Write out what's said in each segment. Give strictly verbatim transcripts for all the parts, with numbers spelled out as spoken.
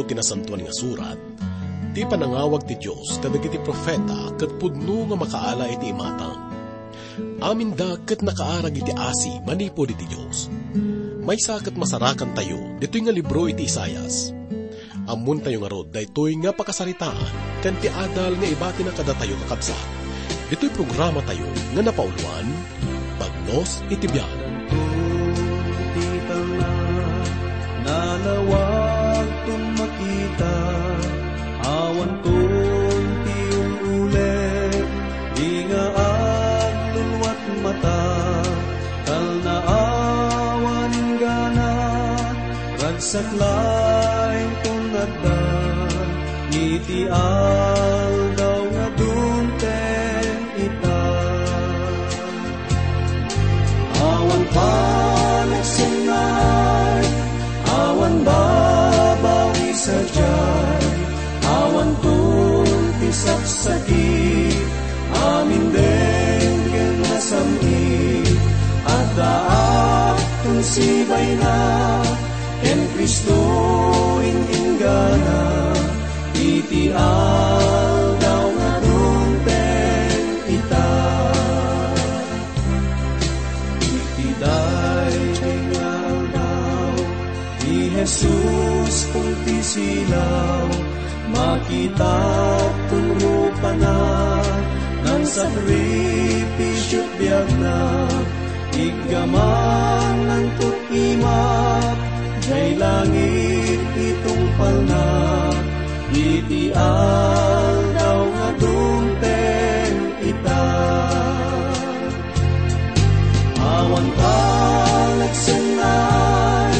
Ti Nasantoan nga Surat, ti panangawag ti Dios kadagiti profeta ket pudno nga makaala iti imatang. Aminda ket nakaarag iti asi manipud iti Dios. Maysa ket masarakantayo ditoy nga libro iti Isaias. Ammontayo ngarud daytoy nga pakasaritaan ken ti adal nga ibatina kadatayo, kakabsat. Ditoy programatayo nga napauloan, Bagnos iti Biag. Ti talna, nalawagton makita, awanton ti ul-ulit, di nga agluluat mata, talna awan inggana, ragsak laeng ton adda, iti aldaw nga dumteng ita. Awan panagsengngaay, awan babawi sadiay, awanton ti saksakit, amin denggen nga sam-it, addaak ton sibayna, ken Cristo in-inggana, iti aldaw nga dumteng ita. Iti daytoy nga aldaw, ni Jesus pulti silaw, makitaton rupana, nangsakripisio biagna, iggaman nangtut-imak, jay langit itungpalna, iti aldaw nga dumteng ita. Awan panagsengngaay,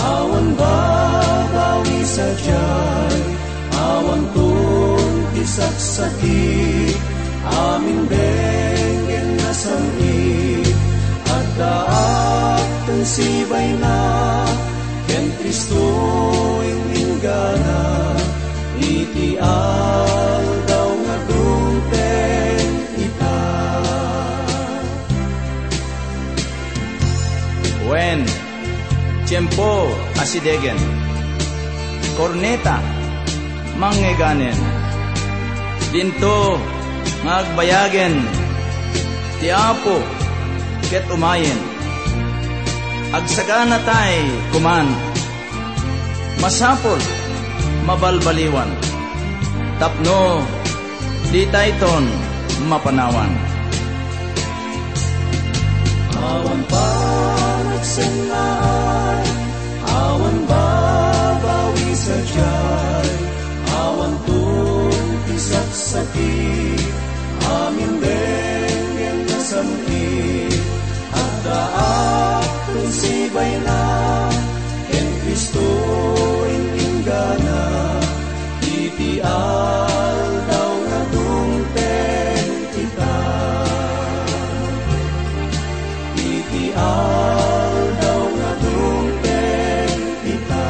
awan babawi sadiay, awanton ti saksakit, amin denggen nga sam-it, addaak ton sibayna, ken Cristo in-inggana, iti aldaw nga dumteng ita. Wen, tiempo a sidegen, korneta, mangngeganen. Dinto nga agbayagen ti Apo ket umayen. Agsaganatay koman. Masapul, mabalbaliwan, tapno ditayton mapanawan. Awan panagsengngaay, awan babawi sadiay, awanton ti saksakit, amin denggen nga sam-it, addaak ton sibayna, ken Cristo in-inggana, iti aldaw nga dumteng ita. Iti aldaw nga dumteng ita.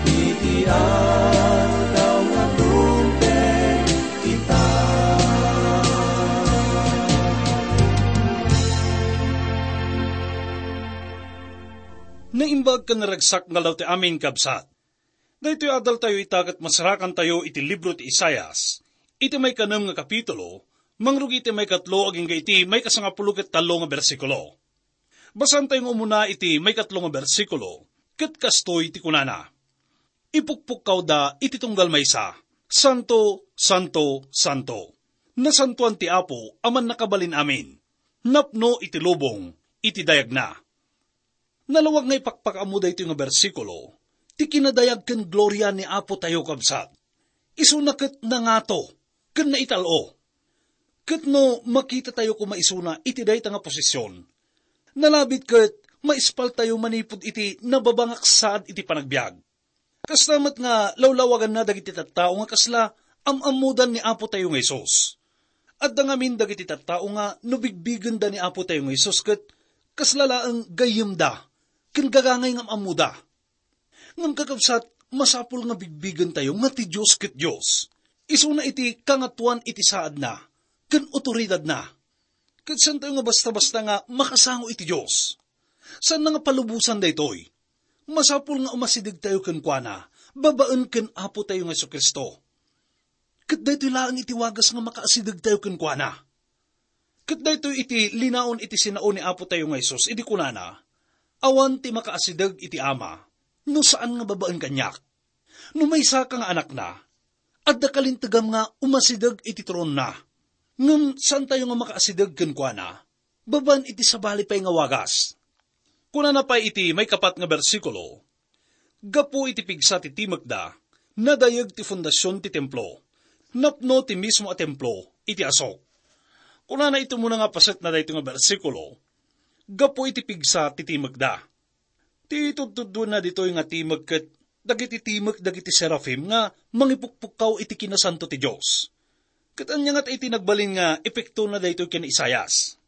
Iti aldaw nga dumteng ita. Naimbag ken naragsak nga aldaw ti amin, kabsat. Daytoy adaltayo ita ket masarakantayo iti libro ti Isaias, iti maikanem nga kapitulo, mangrugi iti maikatlo agingga iti maikasangapulo ket tallo nga bersikulo. Basaentayo nga umuna iti maikatlo nga bersikulo, ket kastoy ti kunana: Ipukpukkawda iti tunggal maysa, "Santo, santo, santo! Nasantoan ti Apo a Mannakabalin-amin! Napno iti lubong iti dayagna." Nalawag nga ipakpakaammo daytoy nga bersikulo ti kinadayag ken gloria ni Apo tayo, kabsat. Isuna ket nangato ken naital-o. Ket no makitatayo koma isuna iti dayta nga posisyon, nalabit ket maispaltayo manipud iti nababangak saad iti panagbiag. Kasta met nga lawlawaganna dagiti tattao nga kasla am-ammodan ni Apo tayo nga Jesus. Adda ngamin dagiti tattao nga no bigbigenda ni Apo tayo nga Jesus ket kasla laeng gayyemda ken gagangay nga am-ammoda. Ngem, kakabsat, masapul nga bigbigentayo nga ti Dios ket Dios. Isuna iti kangatoan iti saadna ken otoridadna. Ket saantayo nga basta-basta nga makasango iti Dios. Saanna nga palubosan daytoy. masapul nga umasidegtayo kenkuana babaen ken Apotayo nga Jesu-Cristo. Ket daytoy laeng iti wagas nga makaasidegtayo kenkuana. Ket daytoy iti linaon iti sinao ni Apotayo nga Jesus idi kunana, "Awan ti makaasideg iti Ama no saan nga babaen kaniak." No maysaka nga anakna, adda kalintegam nga umasideg iti tronna. Ngem saantayo nga makaasideg kenkuana babaen iti sabali pay nga wagas. Kunana pay iti maikapat nga bersikulo, "Gapu iti pigsa ti timekda, nadayeg ti fundasion ti templo, napno ti mismo a templo iti asok." Kunana iti umuna nga paset na daytoy nga bersikulo, "Gapu iti pigsa ti timekda." Ti tudtudduenna ditoy nga timek ket dagiti timek dagiti serafim nga mangipukpukkaw iti kinasanto ti Dios. Ket ania ngata iti nagbalin nga epektona daytoy ken Isaias?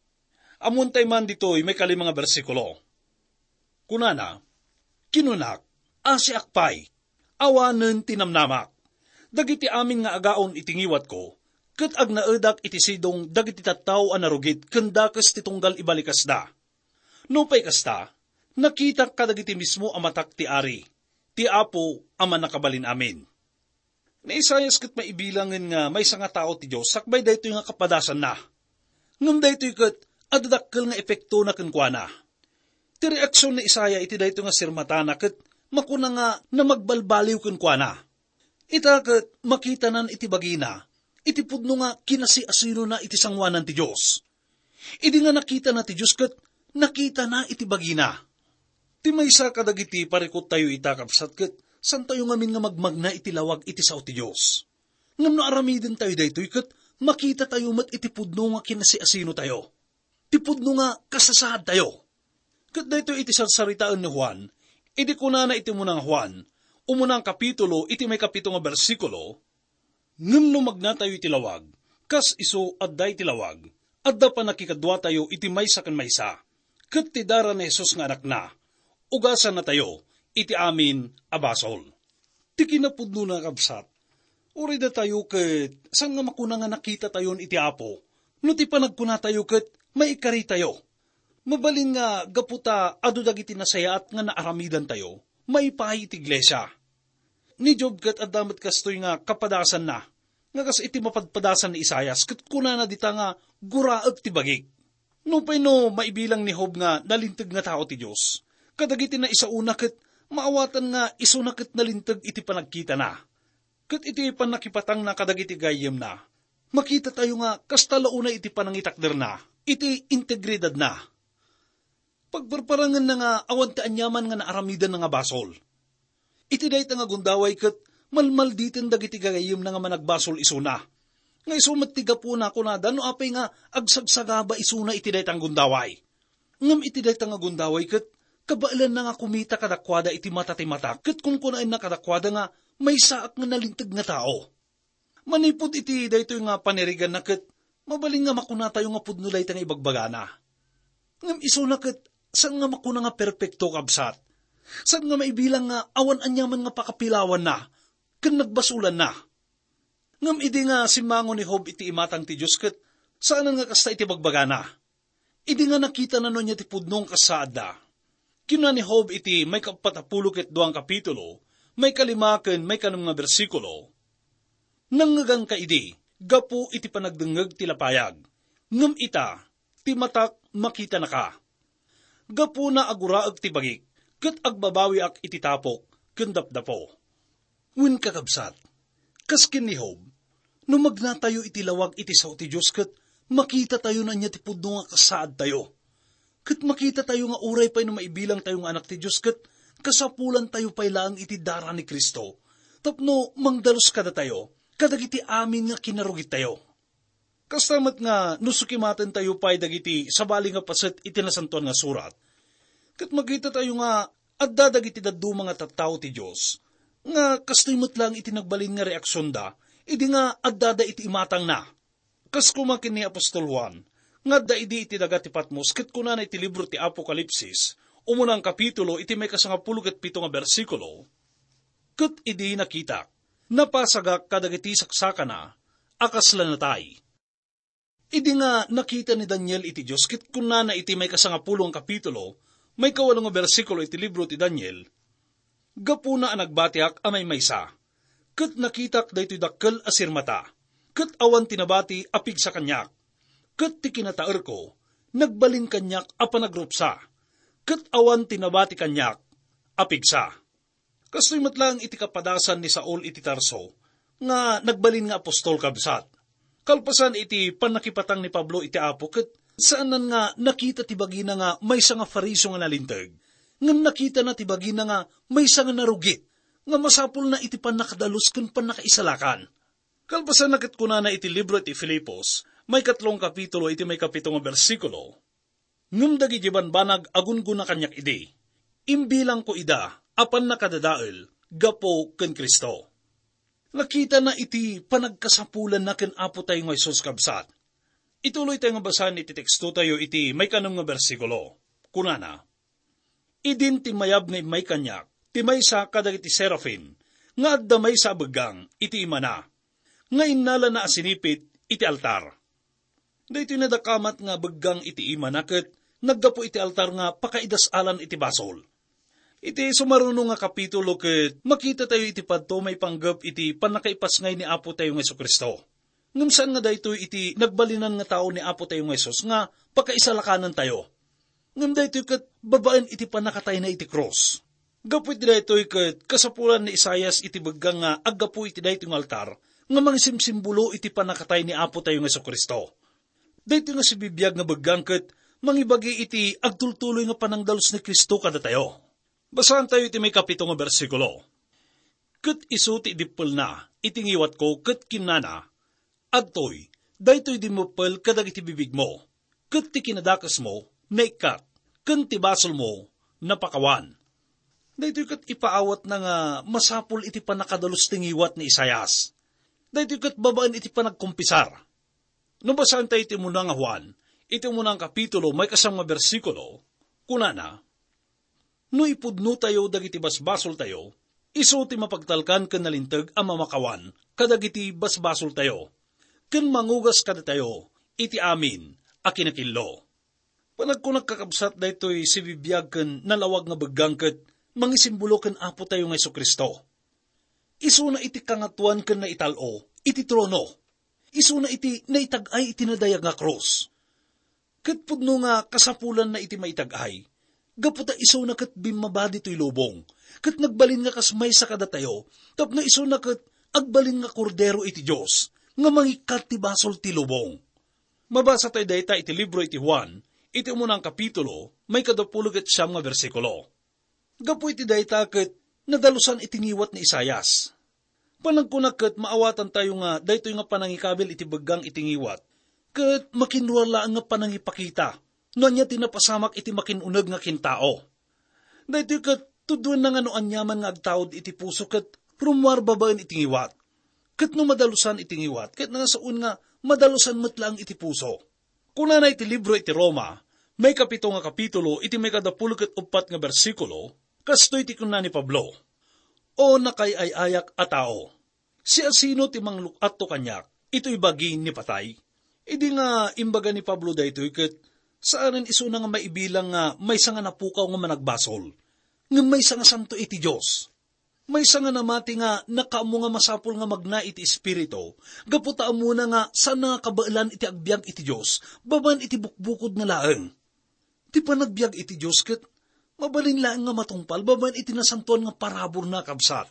Ammontay man ditoy maikalima nga bersikulo. Kunana, "Kinunak, 'Asiak pay, awanen ti namnamak. Dagiti amin nga agaon iti ngiwatko, ket agnaedak iti sidong dagiti tattao a narugit ken dakes ti tunggal ibalikasda.' Nupay kasta, nakitak kadagiti mismo a matak ti Ari, ti Apo a Mannakabalin-amin." Ni Isaias ket maibilangen nga maysa nga tao ti Dios sakbay daytoy nga kapadasanna. Ngem daytoy ket adda dakkel nga epektona kenkuana. Ti reaksion ni Isaias iti daytoy nga sirmatana ket makuna nga namagbalbaliw kenkuana. Ita ket makitanan iti bagina iti pudno nga kinasiasinona iti sangoanan ti Dios. Idi nga nakitana ti Dios ket nakitana iti bagina. Ti maysa kadagiti parikuttayo ita, kabsat, ket saantayo ngamin nga magmagna iti lawag iti sao ti Dios. Ngem no aramidentayo daytoy ket makitatayo met iti pudno nga kinasiasinotayo, ti pudno nga kasasaadtayo. Ket daytoy iti sarsaritaen ni Juan, idi kunana iti umuna nga Juan, umuna nga kapitulo, iti maikapito nga bersikulo, "Ngem no magnatayo iti lawag, kas isu adda iti lawag, adda pannakikaduatayo iti maysa ken maysa, ket ti dara ni Jesus nga Anakna, ugasannatayo iti amin a basol." Ti kinapudnona, kabsat, uray datayo ket saan nga makuna nga nakitatayon iti Apo, no ti panagkunatayo ket maikaritayo. Mabalin nga gapu ta adu dagiti nasayaat nga naaramidantayo maipaay iti iglesia. Ni Job ket adda met kastoy nga kapadasanna, nga kas iti mapadpadasan ni Isaias, ket kunana dita nga, "Guraek ti bagik." Nupay no maibilang ni Job nga nalinteg nga tao ti Dios, kadagiti naisaona ket maawatan nga isuna ket nalinteg iti panagkitana. Ket iti pannakipatangna kadagiti gayyemna, makitatayo nga kasta la unay iti panangitakderna, iti integridadna. Pagparparangenna nga awan ti aniaman nga naaramidanna nga basol. Iti dayta nga gundaway ket malmalditen dagiti gagayyemna nga managbasol isuna. Nga isu met ti gapuna, kunada, no apay nga agsagsagaba isuna iti dayta nga gundaway. Ngem iti dayta nga gundaway ket kabaelanna nga kumita kadakuada iti mata ti mata ket kunkunaenna kadakuada nga maysaak nga nalinteg nga tao. Manipud iti daytoy nga paniriganna ket mabalin nga makunatayo nga pudno dayta nga ibagbagana. Ngem isuna ket saan nga makuna nga perpekto, kabsat. Saan nga maibilang nga awan aniaman nga pakapilawanna ken nagbasolanna. Ngem idi nga simmango ni Job iti imatang ti Dios ket saanen nga kasta iti bagbagana. Idi nga nakitana no ania ti pudno nga kasaadda, kinuna ni Job iti maikapat a pulo ket dua nga kapitulo, maikalima ken maikanem nga bersikulo, "Nangngeganka idi gapu iti panagdengngeg ti lapayag, ngem ita, ti matak makitanaka. Gapuna a guraek ti bagik, ket agbabawiak iti tapok ken dapdapo." Wen, kakabsat, kas ken ni Job, no magnatayo iti lawag iti sao ti Dios ket makitatayo no ania ti pudno nga kasaadtayo. Ket makitatayo nga uray pay no maibilangtayo nga anak ti Dios ket kasapulantayo pay laeng iti dara ni Cristo tapno mangdalus kadatayo kadagiti amin nga kinarugittayo. Kasta met nga no sukimatentayo pay dagiti sabali nga paset iti Nasantoan nga Surat, ket makitatayo nga adda dagiti dadduma nga tattao ti Dios nga kastoy met laeng iti nagbalin nga reaksionda idi nga addada iti imatangna. Kas koma ken ni apostol Juan nga adda idi iti daga ti Patmos ket kunana iti libro ti Apokalipsis, umuna nga kapitulo, iti maikasangapulo ket pito nga bersikulo, "Ket idi nakitak, napasagak kadagiti saksakana a kasla natay." Idi nga nakita ni Daniel iti Dios, ket kunana iti maikasangapulo nga kapitulo, maikawalo nga bersikulo iti libro ti Daniel, Gapuna a nagbatiak a maymaysa, ket nakitak daytoy dakkel a sirmata, ket awan ti nabati a pigsa kaniak. Ket ti kinataerko, nagbalin kaniak a panagrupsa, ket awan ti nabati kaniak a pigsa. Kastoy met laeng iti kapadasan ni Saul iti Tarso, nga nagbalin nga apostol, kabsat. Kalpasan iti pannakipatang ni Pablo iti Apo, ket saanan nga nakita ti bagina nga maysa nga Fariseo nga nalinteg, ngem nakitana ti bagina nga maysa nga narugit, nga masapulna iti pannakadalus ken pannakaisalakan. Kalpasanna ket kunana iti libro iti Filipos, maikatlo nga kapitulo, iti maikapito nga bersikulo, "Ngem dagiti banbanag a gungguna kaniak idi, imbilangko ida a pannakadadael gapu ken Cristo." Nakitana iti panagkasapulanna ken Apo tayo nga Jesus, kabsat. Ituloy tayo nga basaen iti teksto tayo iti maikanem nga bersikulo. Kunana, "Idin timmayab nga immay kaniak ti maysa kadagiti serafin nga adda maysa a beggang iti imana, nga innalana a sinipit iti altar." Daytoy nadakamat nga beggang iti imana ket naggapu iti altar nga pakaidas-alan iti basol. Iti sumaruno nga kapitulo ket makita tayo iti padto maipanggep iti pannakaipasngay ni Apo tayo nga Jesu-Cristo. Ngem saan nga daytoy iti nagbalinan nga tao ni Apo tayo nga Jesus nga pakaisalakanan tayo. Ngem daytoy ket babaen iti pannakatayna iti krus. Gapu iti daytoy ket kasapulan ni Isaias iti beggang nga aggapu iti daytoy nga altar nga mangisimsimbolo iti pannakatay ni Apo tayo nga Jesu-Cristo. Daytoy nga sibibiag nga beggang ket mangibagi iti agtultuloy nga panangdalus ni Cristo kadatayo. Basaantayo iti maikapito nga bersikulo. "Ket isu ti idippelna iti ngiwatko ket kinnana, 'Adtoy, daytoy dimmuppel kadagiti bibigmo, ket ti kinadakesmo naikkat, ken ti basolmo napakawan.'" Daytoy ket ipaawatna nga masapul iti pannakadalus ti ngiwat ni Isaias. Daytoy ket babaen iti panagkumpisar. No basaentayo iti umuna nga Juan, iti umuna nga kapitulo, maikasam nga bersikulo, kunana, "No ipudnotayo dagiti basbasoltayo, isu ti mapagtalkan ken nalinteg a mamakawan kadagiti basbasoltayo, ken mangugas kadatayo iti amin a kinakillo." Panagkunak, kakabsat, daytoy sibibiag ken nalawag nga beggang ket mangisimbolo ken Apo tayo nga Jesu-Cristo. Isuna iti kangatoan ken naital-o iti trono. Isuna iti naitag-ay iti nadayag nga krus. Ket pudno nga kasapulanna iti maitag-ay, gapu ta isuna ket bimmaba ditoy lubong, ket nagbalin nga kas maysa kadatayo, tapno isuna ket agbalin nga Kordero iti Dios, nga mangikkat ti basol ti lubong. Mabasa tayo dayta iti libro iti Juan, iti umuna nga kapitulo, maikadapulo ket siam nga bersikulo. Gapu iti dayta ket nadalusan iti ngiwat ni Isaias. Panagkunak ket maawatantayo nga daytoy nga panangikabil iti beggang iti ngiwat ket makinruar laeng nga panangipakita no ania ti napasamak iti makin-uneg nga kintao. Daytoy ket tuddoenna nga no aniaman nga agtaud iti puso ket rummuar babaen iti ngiwat. Ket no madalusan iti ngiwat, ket nasaon nga madalusan met laeng iti puso. Kunana iti libro iti Roma, maikapito nga kapitulo, iti maikadapulo ket uppat nga bersikulo, kastoy ti kunna ni Pablo, "O nakaay-ayak a tao, siasino ti mangluk-atto kaniak itoy bagi ni patay?" Idi nga imbaga ni Pablo daytoy ket saanen isuna nga maibilang nga maysa nga napukaw nga managbasol, ngem maysa nga santo iti Dios. Maysa nga namati nga nakaammo nga masapul nga magna iti Espiritu, gapu ta ammona nga saan nga kabaelan iti agbiag iti Dios, babaen iti bukbukod na laeng. Ti panagbiag iti Dios ket mabalin laeng nga matungpal babaen iti nasantoan nga paraburna, kabsat.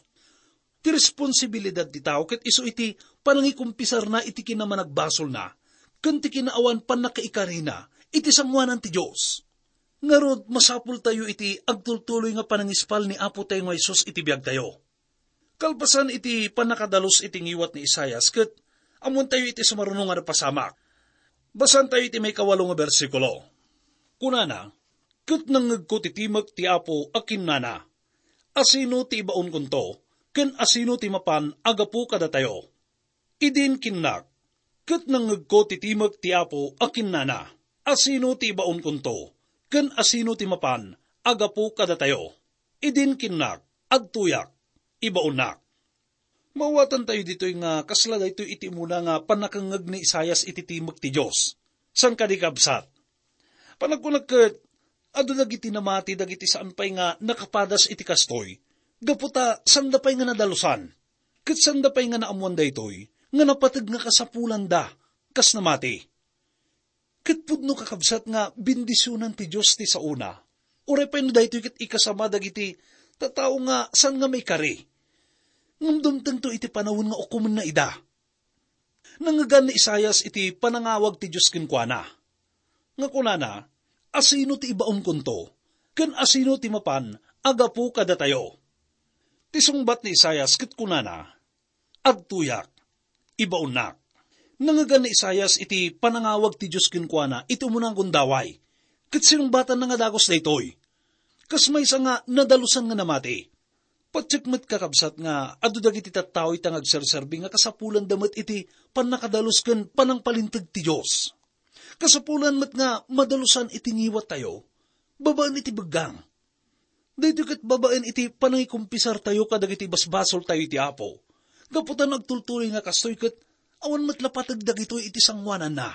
Ti responsibilidad ti tao ket isu iti panangikumpisarna iti kinamanagbasolna, ken ti kinaawan pannakaikarina iti sangoanan ti Dios. Ngarud, masapultayo iti agtultuloy nga panangispal ni Apo tayo nga Jesus iti biagtayo. Kalpasan iti pannakadalus iti ngiwat ni Isaias ket ammoentayo iti sumaruno nga napasamak. Basaentayo iti maikawalo nga bersikulo. Kunana, "Ket nangngegko ti timek ti Apo a kinnana, 'Asino ti ibaonkonto, ken asino ti mapan a gapu kadatayo?'" Idin kinnak, ket nangngegko ti timek ti Apo a kinnana, "Asino ti ibaonkonto, ken asino ti mapan a gapu kadatayo?" Idin kinnak, "Adtoyak, ibaonnak." Mawatantayo ditoy nga kasla daytoy iti umuna nga pannakangngeg ni Isaias iti timek ti Dios. Saan kadi, kabsat? Panagkunak ket, adu dagiti namati dagiti saan pay nga nakapadas iti kastoy, Gapu ta sanda pay nga nadalusan, ket sanda pay nga naammoan daytoy, nga napateg nga kasapulanda kas namati. Ket pudno, kakabsat, nga bendisionan ti Dios ti saona. Uray pay no daytoy ket ikasama dagiti tattao nga saan nga maikari. Ngem dumtengto iti panawen nga ukomenna ida. Nangngegan ni Isaias iti panangawag ti Dios kenkuana, nga kunana, "Asino ti ibaonkonto, ken asino ti mapan a gapu kadatayo?" Ti sungbat ni Isaias ket kunana, "Adtoyak, ibaonnak." Nangngegan ni Isaias iti panangawag ti Dios kenkuana iti umuna nga gundaway, ket sinungbatanna nga dagus daytoy. Kas maysa nga nadalusan nga namati. Patiek met, kakabsat, nga adu dagiti tattao ita nga agserserbi nga kasapulanda met iti pannakadalus ken panangpalinteg ti Dios. Kasapulan met nga madalusan iti ngiwattayo, babaen iti beggang. Daytoy ket babaen iti panangikumpisartayo kadagiti basbasoltayo iti Apo. Gapu ta no agtultuloy nga kastoy ket awan met la pateg dagitoy iti sangoananna.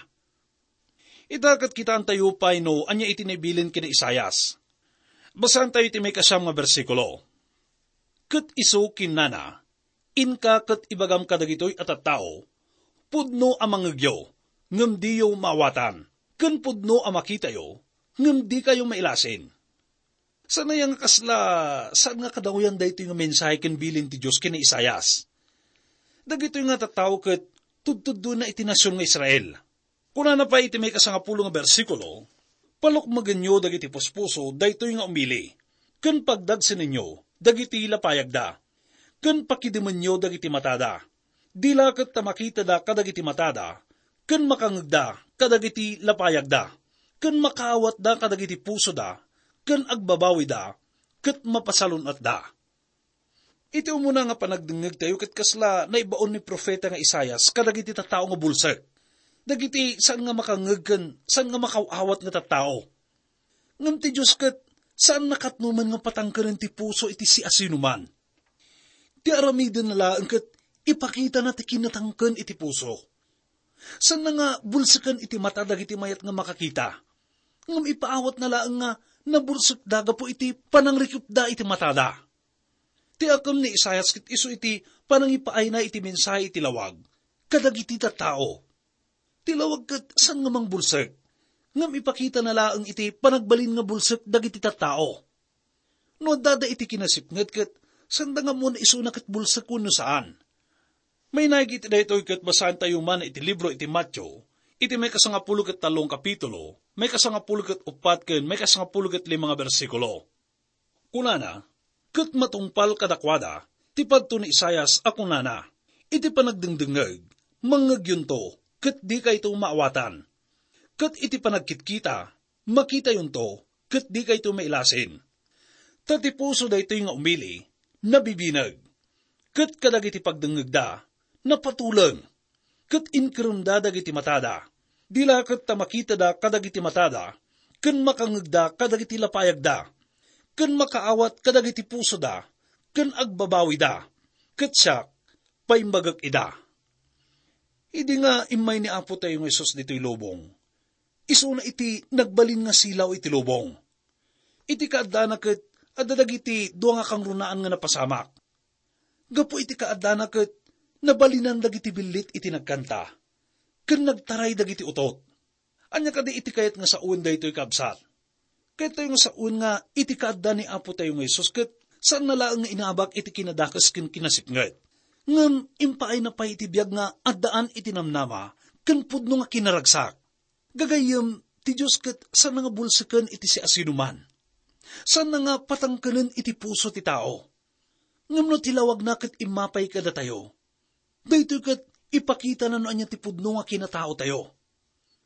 Ita ket kitaentayo pay no ania iti naibilin ken ni Isaias. Basaentayo iti maikasiam nga bersikulo. Ket isu kinnana, "Inka ket ibagam kadagitoy a tattao, pudno a mangngegyo, ngem diyo maawatan, ken pudno a makitayo, ngem dikayo mailasin." Saan aya nga kasla saan nga kadawian daytoy nga mensahe ken bilin ti Dios ken ni Isaias? Dagitoy nga tattao ket tudtuddona iti nasion nga Israel. Kunana pay iti maikasangapulo nga bersikulo, "Palukmegenyo dagiti puspuso daytoy nga umili, ken pagdagsenenyo dagiti lapayagda, ken pakidemenyo dagiti matada. Di la ket ta makitada kadagiti matada, ken makangngegda kadagiti lapayagda, ken makaawatda kadagiti pusoda, ken agbabawida, ket mapasalun-atda." Iti umuna nga panagdengngegtayo ket kasla naibaon ni profeta nga Isaias kadagiti tattao nga bulsek, dagiti saan nga makangngeg ken saan nga makaw-awat nga tattao. Ngem ti Dios ket saan nakatnoman nga patangkenen ti puso iti siasinoman. Ti aramidenna laeng ket ipakitana ti kinatangken iti puso. Saanna nga bulseken iti mata dagiti mayat nga makakita, ngem ipaawatna laeng nga nabulsekda gapu iti panangrikepda iti matada. Ti akem ni Isaias ket isu iti panangipaayna iti mensahe iti lawag kadagiti tattao. Ti lawag ket saan nga mangbulsek, ngem ipakitana laeng iti panagbalin nga bulsek dagiti tattao. No addada iti kinasipnget ket saanda nga ammoan isuna ket bulsek wenno saan. Mainaig iti daytoy ket basaentayo man iti libro iti Mateo, iti maikasangapulo ket tallo nga kapitulo, maikasangapulo ket uppat ken maikasangapulo ket lima nga bersikulo. Kunana, "Ket matungpal kadakuada ti padto ni Isaias a kunana, 'Iti panagdengdengngeg, mangngegyonto, ket dikayto maawatan. Ket iti panagkitkita, makitayonto, ket dikayto mailasin. Ta ti puso daytoy nga umili, nabibineg. Ket kadagiti pagdengngegda, napatuleng. Ket inkeremda dagiti matada. Di la ket ta makitada kadagiti matada, ken makangngegda kadagiti lapayagda, ken makaawat kadagiti pusoda, ken agbabawida. Ket siak, paimbagek ida.'" Idi nga immay ni Apo tayo nga Jesus ditoy lubong, isuna iti nagbalin nga silaw iti lubong. Iti kaaddana ket adda dagiti dua nga kangrunaan nga napasamak. Gapu iti kaaddana ket nabalinan dagiti billit iti nagkanta, ken nagtaray dagiti utot. Ania kadi iti kayat nga sawen daytoy, kabsat? Kayat tayo nga sawen nga iti kaadda ni Apo tayo nga Jesus ket saan na laeng nga inabak iti kinadakes ken kinasipnget. Ngem impaayna pay iti biag nga addaan iti namnama ken pudno nga kinaragsak. Gagayyem, ti Dios ket saanna nga bulseken iti siasinoman. Saanna nga patangkenen iti puso ti tao. Ngem no ti lawagna ket immapay kadatayo, daytoy ket ipakitana no ania ti pudno nga kinataotayo.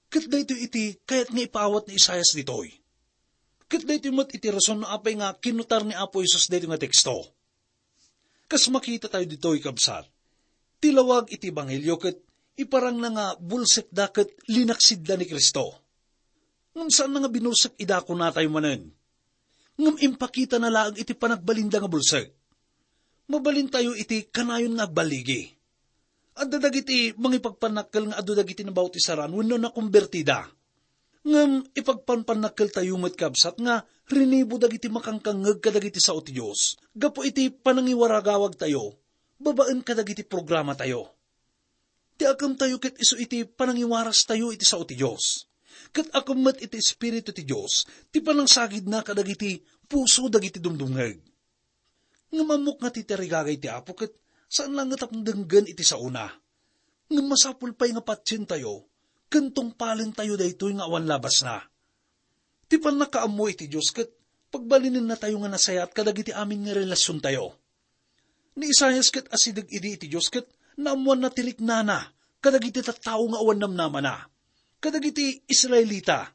Ket daytoy iti kayat nga ipaawat ni Isaias ditoy. Ket daytoy met iti rason no apay nga kinnutar ni Apo Jesus daytoy nga teksto. Kas makitatayo ditoy, kabsat, ti lawag iti ebanghelio ket iparangna nga bulsekda ket linaksidda ni Cristo. Ngem saanna nga binulsek ida, kunatayo manen. Ngem impakitana laeng iti panagbalinda nga bulsek. Mabalintayo iti kanayon nga agballigi. Adda dagiti mangipagpannakkel nga adu dagiti nabautisaran wenno nakombertida. Ngem ipagpanpannakkeltayo met, kabsat, nga rinibo dagiti makangkangngeg kadagiti sao ti Dios gapu iti panangiwaragawagtayo babaen kadagiti programatayo. Ti akemtayo ket isu iti panangiwarastayo iti sao ti Dios. Ket akem met iti Espiritu ti Dios ti panangsagidna kadagiti puso dagiti dumdumngeg. Ngem ammok nga ti tarigagay ti Apo ket saan laeng nga tapno denggen iti saona. Ngem masapul pay nga patientayo ken tungpalentayo daytoy nga awan labasna. Ti pannakaammo iti Dios ket pagbalinennatayo nga nasayaat kadagiti amin nga relasiontayo. Ni Isaias ket asideg idi iti Dios ket naammoanna ti riknana kadagiti tattao nga awan namnamana, kadagiti Israelita.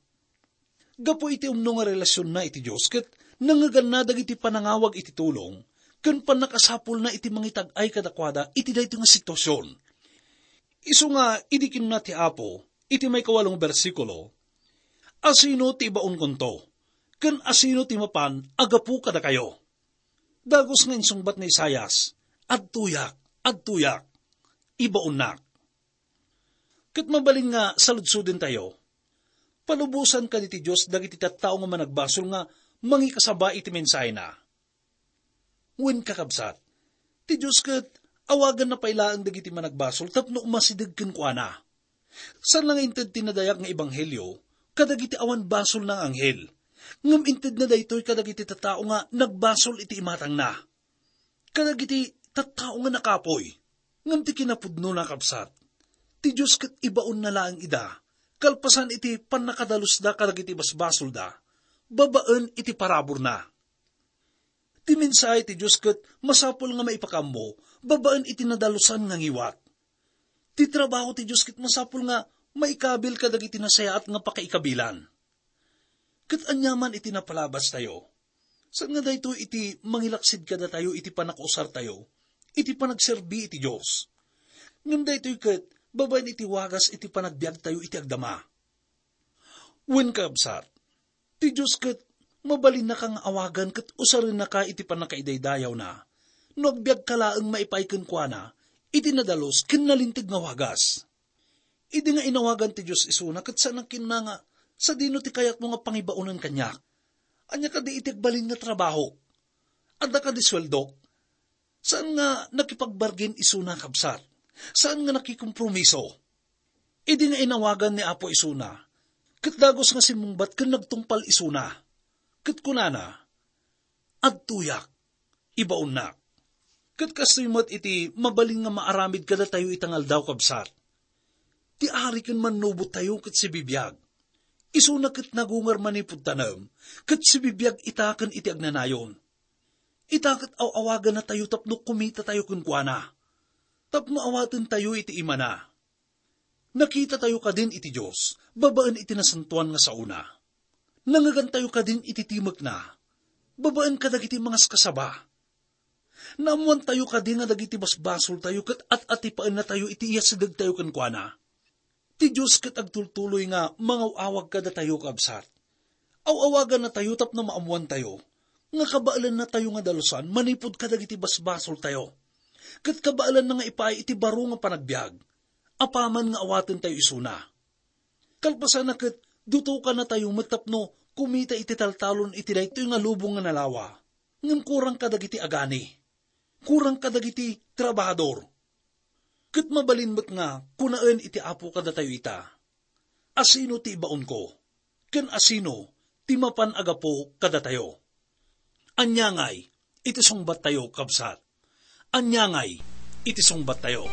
Gapu iti umno nga relasionna iti Dios ket nangngeganna dagiti panangawag iti tulong ken pannakasapulna iti mangitag-ay kadakuada iti daytoy nga situasion. Isu nga idi kinuna ti Apo iti maikawalo nga bersikulo, "Asino ti ibaonkonto? Ken asino ti mapan a gapu kadakayo?" Dagus nga insungbat ni Isaias, "Adtoyak, adtoyak, ibaonnak." Ket mabalin nga saludsodentayo, palubosan kadi ti Dios dagiti tattao nga managbasol nga mangikasaba iti mensahena? Wen, kakabsat, ti Dios ket awaganna pay laeng dagiti managbasol tapno umasideg kenkuana. Saan la nga inted ti nadayag nga ebanghelio kadagiti awan basolna nga anghel, ngem intedna daytoy kadagiti tattao nga nagbasol iti imatangna, kadagiti tattao nga nakapuy. Ngem ti kinapudnona, kabsat, ti Dios ket ibaonna laeng ida kalpasan iti pannakadalusda kadagiti basbasolda babaen iti paraburna. Ti mensahe ti Dios ket masapul nga maipakaammo babaen iti nadalusan nga ngiwat. Ti trabaho ti Dios ket masapul nga maikabil kadagiti nasayaat nga pakaikabilan. Ket aniaman iti napalabastayo, saan nga daytoy iti mangilaksid kadatayo iti pannakausartayo iti panagserbi iti Dios. Ngem daytoy ket babaen iti wagas iti panagbiagtayo iti agdama. Wen, kabsat, ti Dios ket mabalinnaka nga awagan ket usarennaka iti pannakaidaydayawna no agbiagka laeng maipaay kenkuana iti nadalus ken nalinteg nga wagas. Idi nga inawagan ti Dios isuna, ket saan a kinuna nga, "Sadino ti kayatmo nga pangibaonen kaniak? Ania kadi iti agbalin nga trabaho? Adda kadi sueldok?" Saan nga nakipagbargen isuna, kabsat. Saan nga nakikompromiso. Idi nga inawagan ni Apo isuna, ket dagus nga simmungbat ken nagtungpal isuna. Ket kunana, "Adtoyak, ibaonnak." Ket kastoy met iti mabalin nga maaramid kadatayo ita nga aldaw, kabsat. Ti ari ken mannubottayo ket sibibiag. Isuna ket nagungar manipud tanem, ket sibibiag ita ken iti agnanayon. Ita ket aw-awagannatayo tapno kumitatayo kenkuana, tapno awatentayo iti imana. Nakitatayo kadin iti Dios babaen iti nasantoan nga saona. Nangngegantayo kadin iti timekna babaen kadagiti mangaskasaba. Naammoantayo kadi nga dagiti basbasoltayo ket at-atipaennatayo iti iyasidegtayo kenkuana. Ti Dios ket agtultuloy nga mangaw-awag kadatayo, kabsat. Aw-awagannatayo tapno maammoantayo nga kabaelannatayo nga dalusan manipud kadagiti basbasoltayo, ket kabaelanna nga ipaay iti baro nga panagbiag apaman nga awatentayo isuna. Kalpasanna ket dutokannatayo met tapno kumita iti taltalon iti daytoy nga lubong nga nalawa, ngem kurang kadagiti agani, kurang kadagiti trabahador. Ket mabalin met nga kunaen iti Apo kadatayo ita, "Asino ti ibaonko? Ken asino ti mapan a gapu kadatayo?" Ania ngay iti sungbattayo, kabsat? Ania ngay iti sungbattayo?